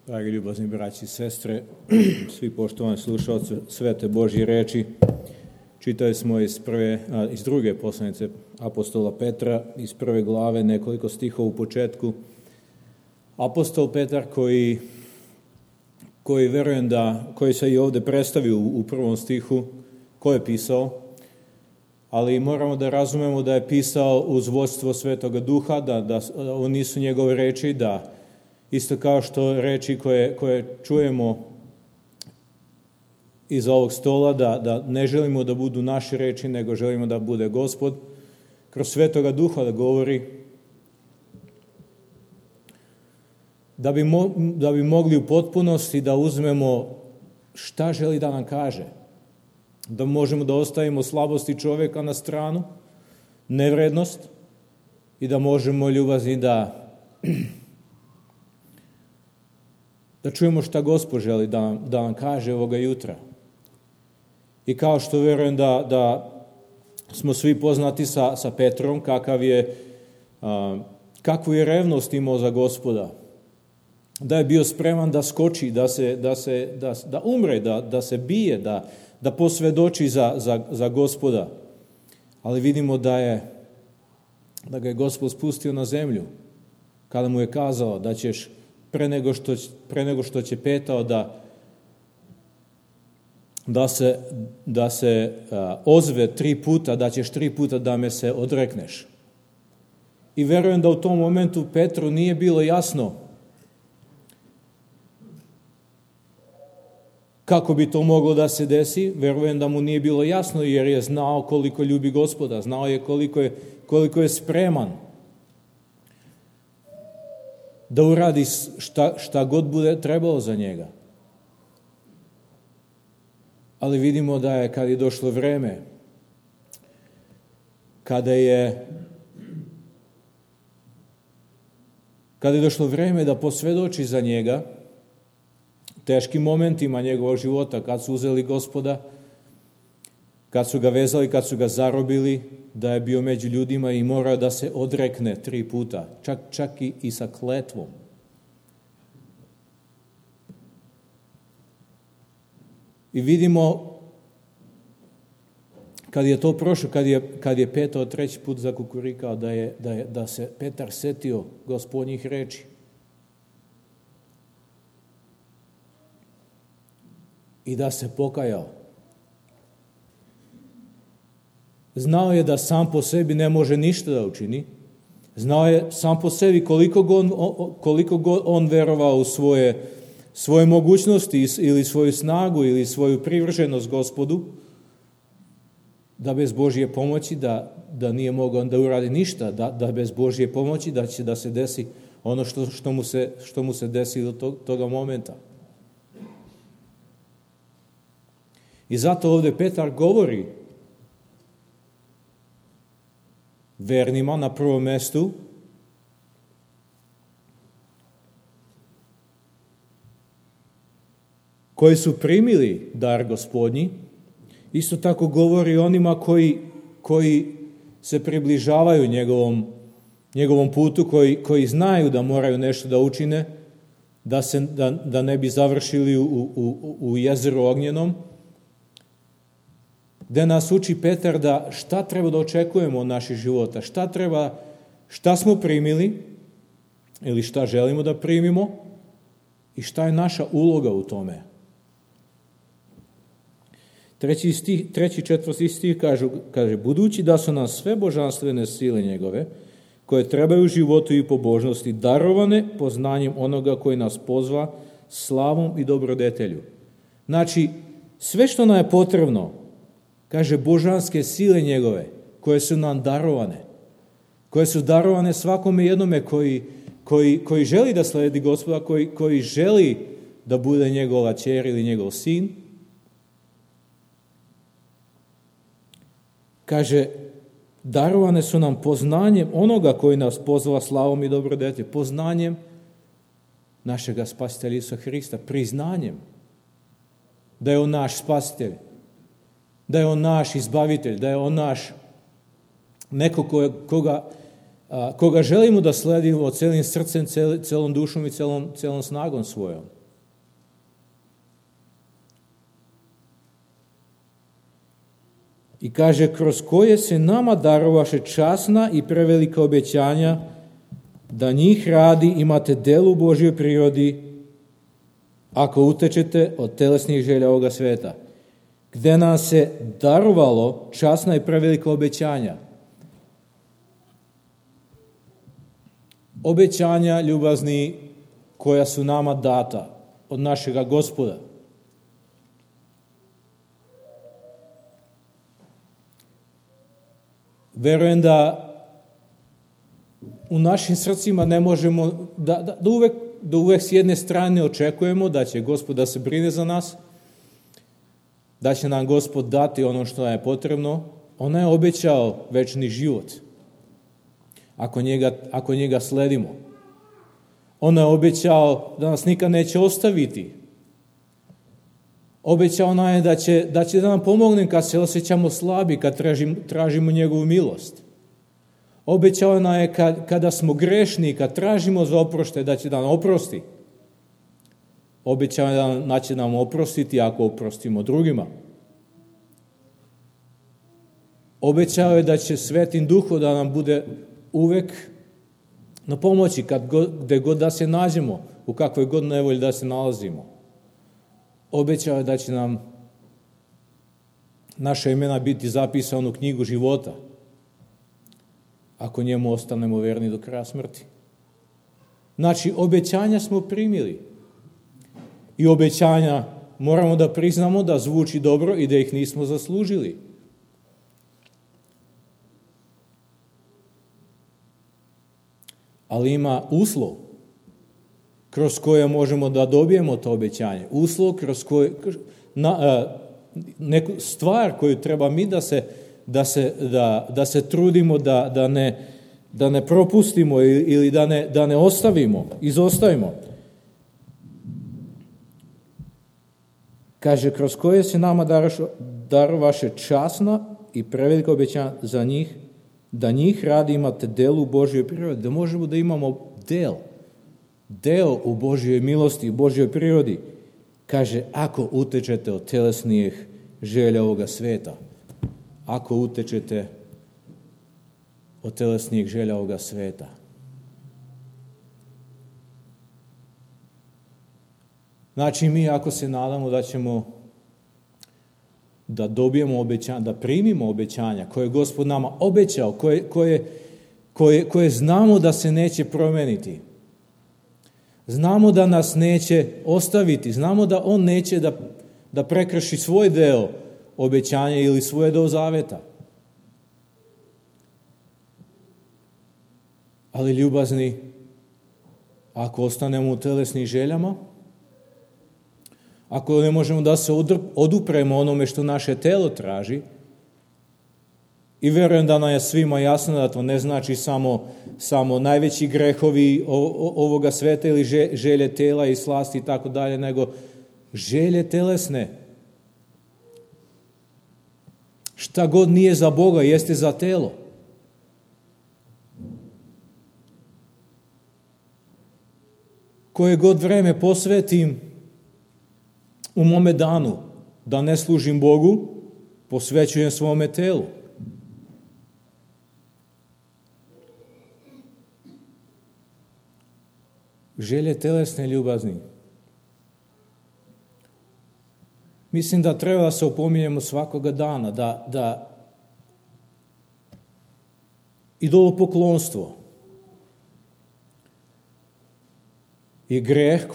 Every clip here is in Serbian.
Dragi ljubazni braći i sestre, svi poštovani slušalci svete Božje reči, čitali smo iz druge poslanice apostola Petra, iz prve glave, nekoliko stihova u početku. Apostol Petar koji verujem koji se i ovdje predstavio u prvom stihu, ko je pisao, ali moramo da razumemo da je pisao uz vodstvo Svetoga Duha, da ovo nisu njegove reči, da isto kao što reči koje čujemo iz ovog stola, da ne želimo da budu naše reči, nego želimo da bude Gospod kroz Svetoga Duha da govori, da bi mogli u potpunosti da uzmemo šta želi da nam kaže, da možemo da ostavimo slabosti čovjeka na stranu, nevrednost, i da možemo ljubazni da čujemo šta Gospod želi da nam kaže ovoga jutra. I kao što verujem da smo svi poznati sa Petrom, kakvu je revnost imao za Gospoda, da je bio spreman da skoči, da umre, da se bije, da posvedoči za Gospoda. Ali vidimo da ga je Gospod spustio na zemlju, kada mu je kazao da ćeš pre nego što će petao da se ozve 3 puta, da ćeš 3 puta da me se odrekneš. I verujem da u tom momentu Petru nije bilo jasno kako bi to moglo da se desi. Verujem da mu nije bilo jasno, jer je znao koliko ljubi Gospoda, znao je koliko je spreman da uradi šta god bude trebalo za njega. Ali vidimo da je, kad je došlo vreme, kada je došlo vreme da posvedoči za njega, teškim momentima njegovog života, kad su uzeli Gospoda, kad su ga vezali, kad su ga zarobili, da je bio među ljudima i morao da se odrekne 3 puta, čak i sa kletvom. I vidimo, kad je to prošlo, kad je petao 3. put zakukurikao, da se Petar setio Gospodnjih reči. I da se pokajao. Znao je da sam po sebi ne može ništa da učini. Znao je sam po sebi koliko god on verovao u svoje mogućnosti ili svoju snagu ili svoju privrženost Gospodu, da bez Božje pomoći da nije mogao da uradi ništa, da bez Božje pomoći da će da se desi ono što mu se desilo toga momenta. I zato ovdje Petar govori vernima na prvom mestu, koji su primili dar Gospodnji. Isto tako govori onima koji se približavaju njegovom putu, koji znaju da moraju nešto da učine, da ne bi završili u jezeru ognjenom, gde nas uči Petar da šta treba da očekujemo od naših života, šta smo primili ili šta želimo da primimo i šta je naša uloga u tome. 3. i 4. stih kaže, budući da su nam sve božanstvene sile njegove, koje trebaju u životu i pobožnosti, darovane poznanjem onoga koji nas pozva slavom i dobrodetelju. Znači, sve što nam je potrebno, kaže, božanske sile njegove, koje su nam darovane, koje su darovane svakome jednome koji želi da sledi Gospoda, koji želi da bude njegova ćer ili njegov sin. Kaže, darovane su nam poznanjem onoga koji nas pozva slavom i dobrodeteljem, poznanjem našega spasitelja Isusa Hrista, priznanjem da je on naš spasitelj, da je on naš izbavitelj, da je on naš neko koga želimo da sledimo celim srcem, celom dušom i celom snagom svojom. I kaže, kroz koje se nama darovaše časna i prevelika obećanja, da njih radi imate delu u Božjoj prirodi, ako utečete od telesnih želja ovoga sveta. Gde nam se darovalo časna i prevelika obećanja. Obećanja, ljubazni, koja su nama data od našega Gospoda. Verujem da u našim srcima ne možemo, da uvek s jedne strane očekujemo da će Gospod da se brine za nas, da će nam Gospod dati ono što je potrebno. On je obećao večni život, ako njega sledimo. On je obećao da nas nikad neće ostaviti. Obećao nam je da će da nam pomogne kad se osjećamo slabi, kad tražimo njegovu milost. Obećao nam je kada smo grešni, kad tražimo za oproštaj, da će da nam oprosti. Obećao je da će nam oprostiti ako oprostimo drugima. Obećao je da će Svetim Duhom da nam bude uvek na pomoći gde god da se nađemo, u kakvoj god nevolji da se nalazimo. Obećao je da će nam naša imena biti zapisana u knjigu života, ako njemu ostanemo verni do kraja smrti. Znači, obećanja smo primili. I obećanja moramo da priznamo da zvuči dobro i da ih nismo zaslužili. Ali ima uslov kroz koje možemo da dobijemo to obećanje. Uslov kroz koje, neku stvar koju treba mi da se trudimo da ne propustimo ili da ne ostavimo, izostavimo. Kaže, kroz koje se nama darovaše časna i prevelika obećanja za njih, da njih radi imate delu u Božjoj prirodi, da možemo da imamo deo u Božjoj milosti, u Božjoj prirodi. Kaže, ako utečete od telesnih želja ovoga sveta, ako utečete od telesnih želja ovoga sveta. Znači, mi ako se nadamo da ćemo da dobijemo obećanja, da primimo obećanja koje je Gospod nama obećao, koje znamo da se neće promeniti. Znamo da nas neće ostaviti, znamo da On neće da prekrši svoj deo obećanja ili svoj deo zaveta. Ali ljubazni, ako ostanemo u telesnim željama, ako ne možemo da se odupremo onome što naše telo traži, i verujem da nam je svima jasno da to ne znači samo najveći grehovi ovoga sveta ili želje tela i slasti i tako dalje, nego želje telesne. Šta god nije za Boga, jeste za telo. Koje god vreme posvetim u mome danu da ne služim Bogu, posvećujem svome telu. Želje telesne, ljubazni. Mislim da treba da se opominjemo svakoga dana, da idolopoklonstvo je greh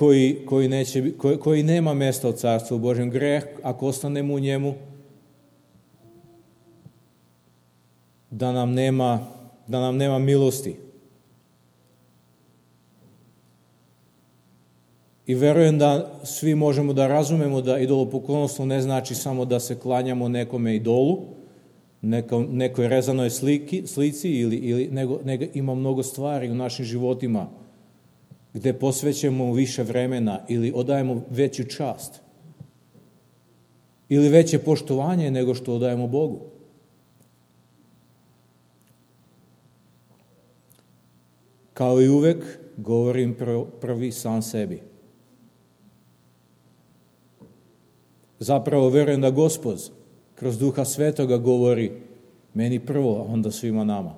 koji nema mesta u Carstvu Božjem. Greh, ako ostanemo u njemu, da nam nema milosti. I verujem da svi možemo da razumemo da idolopoklonstvo ne znači samo da se klanjamo nekome idolu, nekoj rezanoj slici, nego ima mnogo stvari u našim životima gde posvećujemo više vremena ili odajemo veću čast ili veće poštovanje nego što odajemo Bogu. Kao i uvek, govorim prvi sam sebi. Zapravo verujem da Gospod, kroz Duha Svetoga govori meni prvo, a onda svima nama.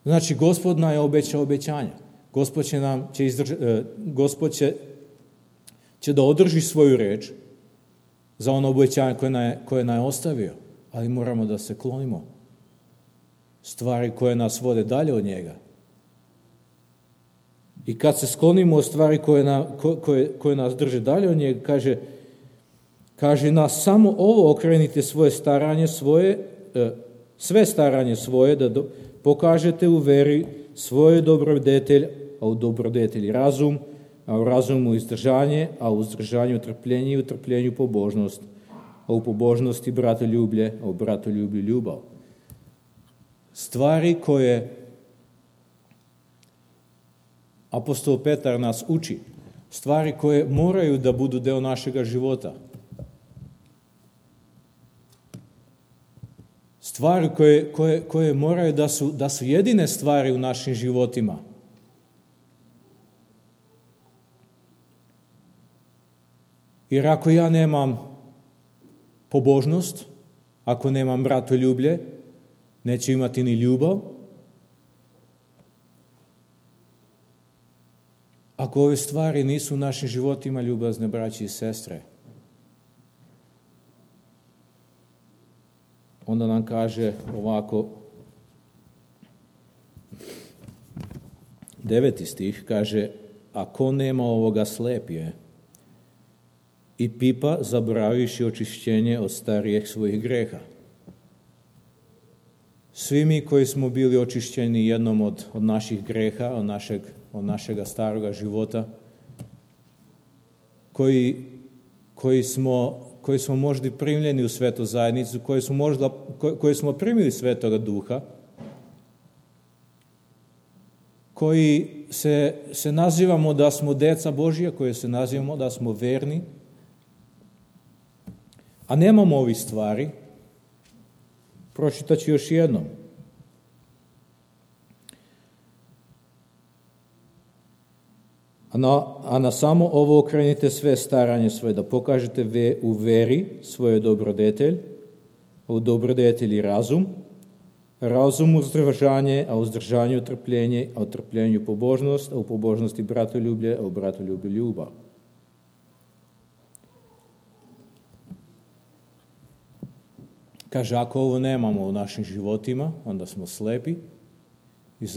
Znači, Gospod nam je obećao obećanja. Gospod će da održi svoju reč za ono obećanje koje nam je ostavio, ali moramo da se klonimo stvari koje nas vode dalje od njega. I kad se sklonimo od stvari koje nas drže dalje od njega, kaže nas samo ovo okrenite sve staranje svoje, da pokažete u veri svoje dobrodetelj, a u dobrodetelji razum, a u razumu izdržanje, a u izdržanju trpljenje i u trpljenju pobožnost, a u pobožnosti bratoljublje, a u bratoljublju ljubav. Stvari koje apostol Petar nas uči, stvari koje moraju da budu deo našega života. Stvari koje moraju da su jedine stvari u našim životima. Jer ako ja nemam pobožnost, ako nemam bratoljublje, neću imati ni ljubav. Ako ove stvari nisu u našim životima, ljubazne braće i sestre, onda nam kaže ovako, 9. stih kaže, a ko nema ovoga slep je i pipa zaboravivši očišćenje od starijih svojih greha. Svi mi koji smo bili očišćeni jednom od naših greha, od našega staroga života, koji smo možda primljeni u svetu zajednicu, koji smo primili Svetoga Duha, koji se nazivamo da smo deca Božija, koji se nazivamo da smo verni, a nemamo ovih stvari, pročitaću još jednom. A na samo ovo okrenite sve staranje svoje, da pokažete u veri svoje dobrodetelj, a u dobrodetelji razum, razum uzdržanje, a u uzdržanju trpljenje, a u trpljenju pobožnost, a u pobožnosti bratoljublje, a u bratoljublju ljubav. Kaže, ako ovo nemamo u našim životima, onda smo slepi i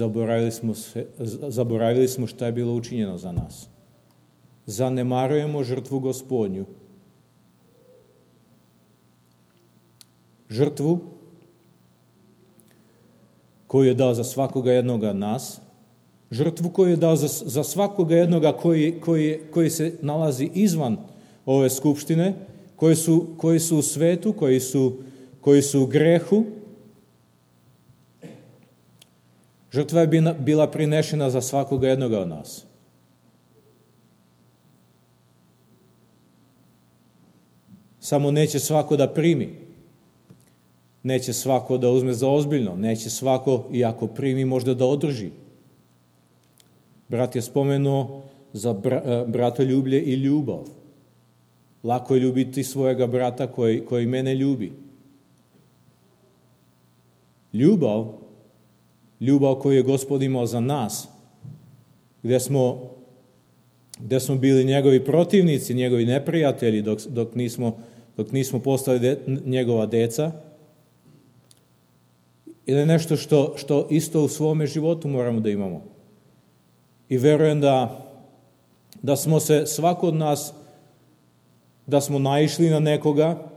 zaboravili smo šta je bilo učinjeno za nas. Zanemarujemo žrtvu Gospodnju. Žrtvu koju je dao za svakoga jednoga nas, žrtvu koju je dao za svakoga jednoga koji se nalazi izvan ove skupštine, koji su u svetu, koji su u grehu. Žrtva je bila prinešena za svakoga jednoga od nas. Samo neće svako da primi. Neće svako da uzme za ozbiljno. Neće svako, i ako primi, možda da održi. Brat je spomenuo za bratoljublje i ljubav. Lako je ljubiti svojega brata koji mene ljubi. Ljubav koju je Gospod imao za nas, gde smo bili njegovi protivnici, njegovi neprijatelji, dok nismo postali njegova deca, ili nešto što isto u svome životu moramo da imamo. I verujem da smo se, svako od nas, da smo naišli na nekoga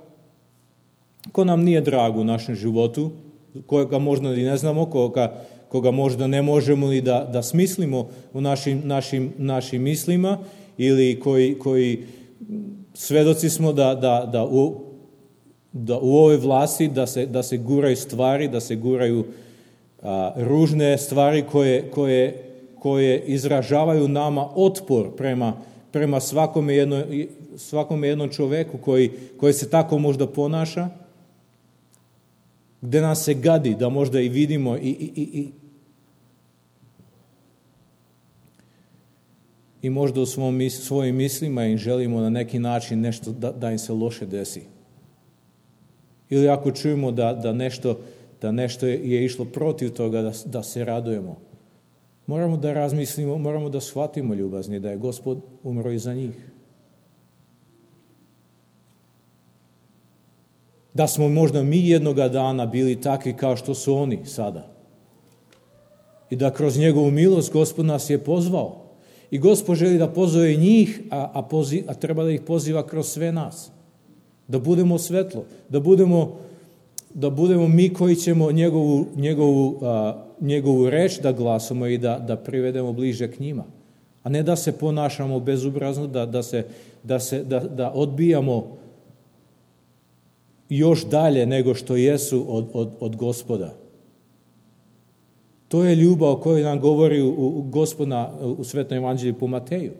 ko nam nije drag u našem životu, koga možda i ne znamo, koga možda ne možemo ni da smislimo u našim mislima, ili koji svedoci smo da u ovoj vlasti da se guraju stvari, da se guraju ružne stvari koje izražavaju nama otpor prema svakome jednom čoveku koji se tako možda ponaša, gde nas se gadi, da možda i i možda u svojim mislima im želimo na neki način nešto da im se loše desi. Ili ako čujemo da nešto je išlo protiv toga, da se radujemo. Moramo da razmislimo, moramo da shvatimo, ljubazni, da je Gospod umro i za njih. Da smo možda mi jednoga dana bili takvi kao što su oni sada. I da kroz njegovu milost Gospod nas je pozvao. I Gospod želi da pozove njih, a treba da ih poziva kroz sve nas. Da budemo svetlo, da budemo mi koji ćemo njegovu reč da glasamo i da privedemo bliže k njima. A ne da se ponašamo bezobrazno, da odbijamo još dalje nego što jesu od Gospoda. To je ljubav o kojoj nam govori Gospod u Svetom evanđelju po Mateju.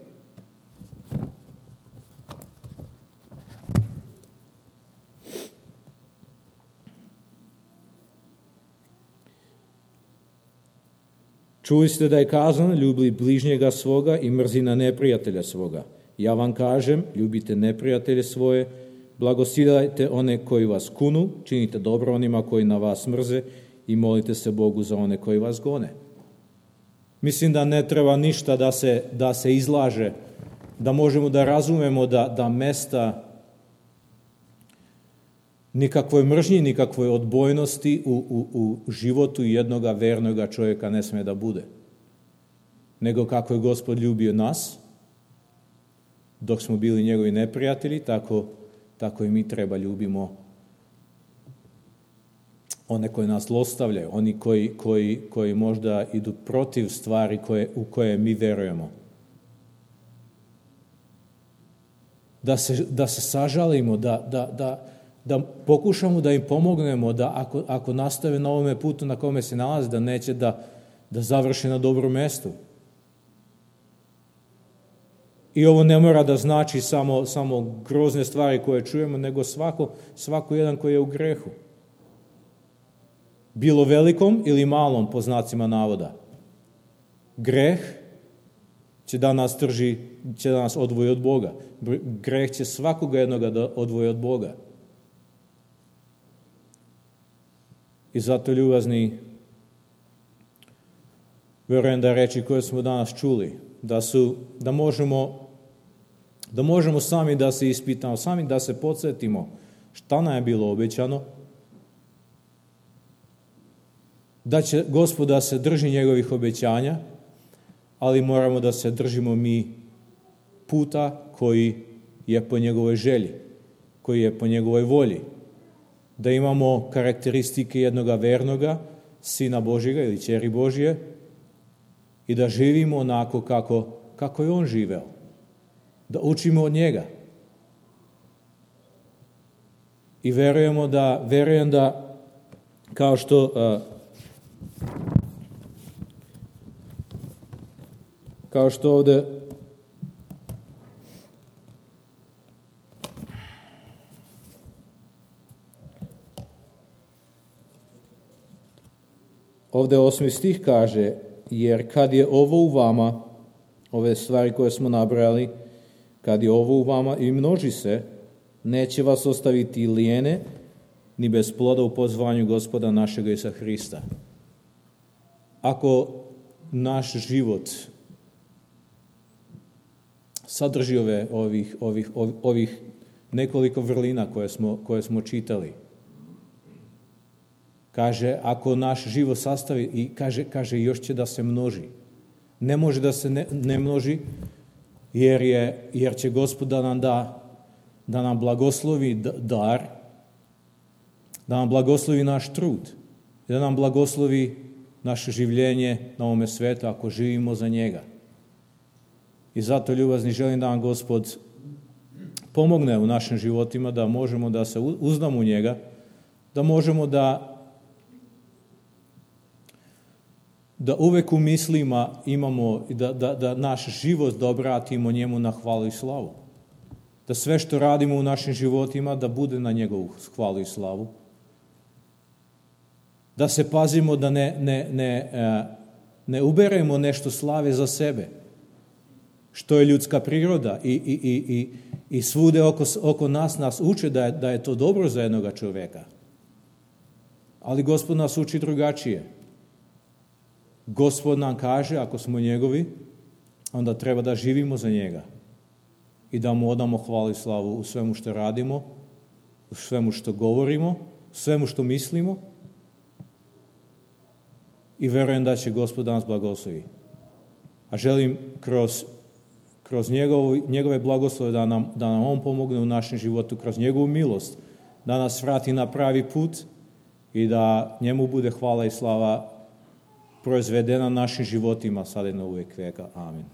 Čuli ste da je kazano, ljubi bližnjega svoga i mrzi na neprijatelja svoga. Ja vam kažem, ljubite neprijatelje svoje, blagosiljajte one koji vas kunu, činite dobro onima koji na vas mrze i molite se Bogu za one koji vas gone. Mislim da ne treba ništa da se izlaže, da možemo da razumemo da mesta nikakvoj mržnji, nikakvoj odbojnosti u životu jednoga vernoga čovjeka ne sme da bude. Nego kako je Gospod ljubio nas, dok smo bili njegovi neprijatelji, tako i mi treba ljubimo one koji nas zlostavljaju, oni koji možda idu protiv stvari u koje mi verujemo. Da se sažalimo, da pokušamo da im pomognemo, da ako nastave na ovome putu na kome se nalaze, da neće da završe na dobrom mestu. I ovo ne mora da znači samo grozne stvari koje čujemo, nego svako jedan koji je u grehu. Bilo velikom ili malom, po znacima navoda. Greh će da nas će da nas odvoji od Boga. Greh će svakoga jednoga da odvoji od Boga. I zato, ljubazni, verujem da reči koje smo danas čuli, da možemo sami da se ispitamo, sami da se podsjetimo šta nam je bilo obećano, da će Gospod da se drži njegovih obećanja, ali moramo da se držimo mi puta koji je po njegovoj želji, koji je po njegovoj volji. Da imamo karakteristike jednoga vernoga, Sina Božjega ili ćeri Božje, i da živimo onako kako je on živeo. Da učimo od njega. I verujem da kao što ovde ovde 8. stih kaže, jer kad je ovo u vama, ove stvari koje smo nabrali, kad je ovo u vama i množi se, neće vas ostaviti lijene, ni bez ploda u pozvanju Gospoda našega Isusa Hrista. Ako naš život sadrži ovih nekoliko vrlina koje smo čitali, kaže, ako naš život sastavi, i kaže još će da se množi. Ne može da se ne množi, jer će Gospod da nam blagoslovi dar, da nam blagoslovi naš trud, da nam blagoslovi naše življenje na ovome svetu, ako živimo za njega. I zato, ljubazni, želim da nam Gospod pomogne u našim životima, da možemo da se uzdamo u njega, da možemo da uvek u mislima imamo, da naš život da obratimo njemu na hvalu i slavu. Da sve što radimo u našim životima da bude na njegovu hvalu i slavu. Da se pazimo da ne uberemo nešto slave za sebe. što je ljudska priroda i svude oko nas uče da je to dobro za jednoga čovjeka. Ali Gospod nas uči drugačije. Gospod nam kaže, ako smo njegovi, onda treba da živimo za njega i da mu odamo hvalu i slavu u svemu što radimo, u svemu što govorimo, u svemu što mislimo i verujem da će Gospod nas blagoslovi. A želim kroz njegove blagoslove da nam on pomogne u našem životu, kroz njegovu milost, da nas vrati na pravi put i da njemu bude hvala i slava proizvedena našim životima sada i na uvijek veka. Amen.